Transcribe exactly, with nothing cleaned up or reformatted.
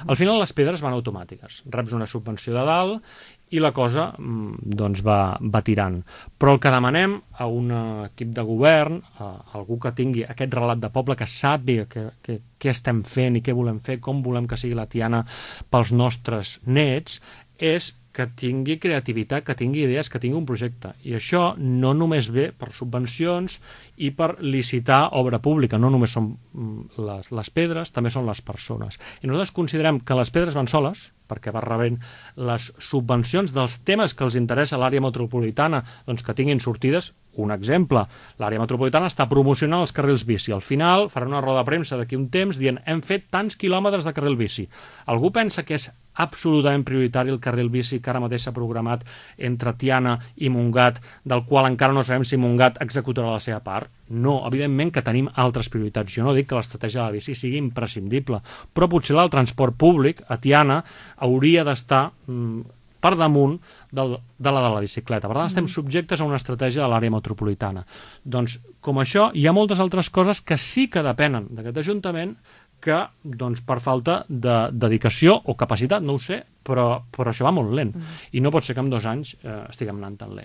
Al final les pedres van automàtiques. Reps una subvenció de dalt i la cosa doncs, va, va tirant. Però el que demanem a un equip de govern, a algú que tingui aquest relat de poble, que sàpiga què, què, què estem fent i què volem fer, com volem que sigui la Tiana pels nostres nets, és que tingui creativitat, que tingui idees, que tingui un projecte. I això no només ve per subvencions i per licitar obra pública, no només són les, les pedres, també són les persones. I nosaltres considerem que les pedres van soles, perquè va rebent les subvencions dels temes que els interessa a l'àrea metropolitana, doncs que tinguin sortides. Un exemple, l'àrea metropolitana està promocionant els carrils bici. Al final farà una roda de premsa d'aquí un temps dient hem fet tants quilòmetres de carril bici. Algú pensa que és absolutament prioritari el carril bici que ara mateix s'ha programat entre Tiana i Montgat, del qual encara no sabem si Montgat executarà la seva part? No, evidentment que tenim altres prioritats. Jo no dic que l'estratègia de la bici sigui imprescindible, però potser el transport públic a Tiana hauria d'estar mm, per damunt del, de la de la bicicleta. Per tant, estem subjectes a una estratègia de l'àrea metropolitana. Doncs, com això, hi ha moltes altres coses que sí que depenen d'aquest Ajuntament que, doncs, per falta de dedicació o capacitat, no ho sé, però, però això va molt lent. Mm. I no pot ser que en dos anys eh, estiguem anant tan lent.